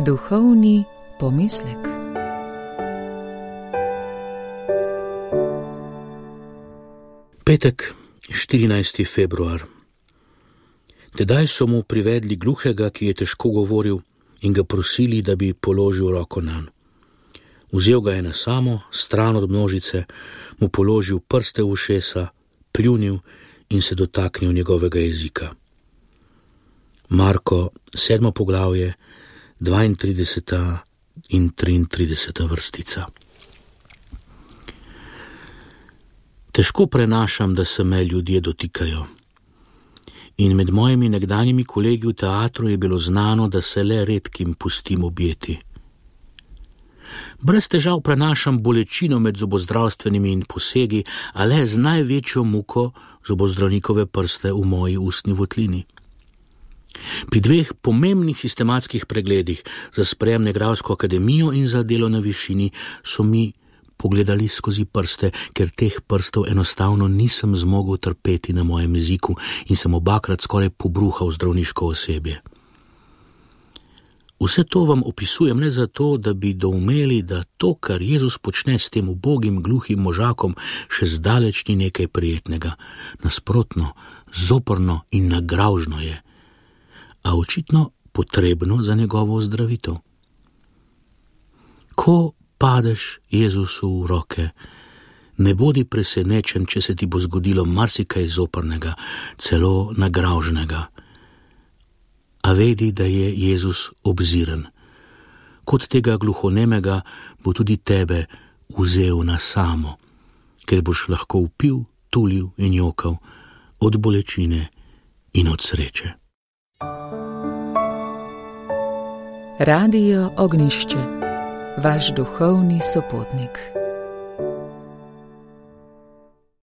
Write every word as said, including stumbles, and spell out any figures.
Duhovni pomislek. Petek, štirinajsti februar. Tedaj so mu privedli gluhega, ki je težko govoril, in ga prosili, da bi položil roko nanj. Vzel ga je na samo, stran od množice, mu položil prste v ušesa, pljunil in se dotaknil njegovega jezika. Marko, sedmo poglavje, dvaintrideseta in triintrideseta vrstica. Težko prenašam, da se me ljudje dotikajo. In med mojimi nekdanjimi kolegi v teatru je bilo znano, da se le redkim pustim objeti. Brez težav prenašam bolečino med zobozdravstvenimi in posegi, a le z največjo muko zobozdravnikove prste v moji ustni votlini. Pri dveh pomembnih sistematskih pregledih za sprejem na igralsko akademijo in za delo na višini so mi pogledali skozi prste, ker teh prstov enostavno nisem zmogel trpeti na mojem jeziku in sem obakrat skoraj pobruhal zdravniško osebje. Vse to vam opisujem ne zato, da bi doumeli, da to, kar Jezus počne s tem ubogim, gluhim možakom, še zdaleč ni nekaj prijetnega. Nasprotno, zoprno in nagravžno je, a očitno potrebno za njegovo ozdravitev. Ko padeš Jezusu v roke, ne bodi presenečen, če se ti bo zgodilo marsikaj zoprnega, celo nagravžnega. A vedi, da je Jezus obziren. Kot tega gluhonemega bo tudi tebe vzel na samo, ker boš lahko vpil, tulil in jokal od bolečine in od sreče. Radio Ognjišče, vaš duhovni sopotnik.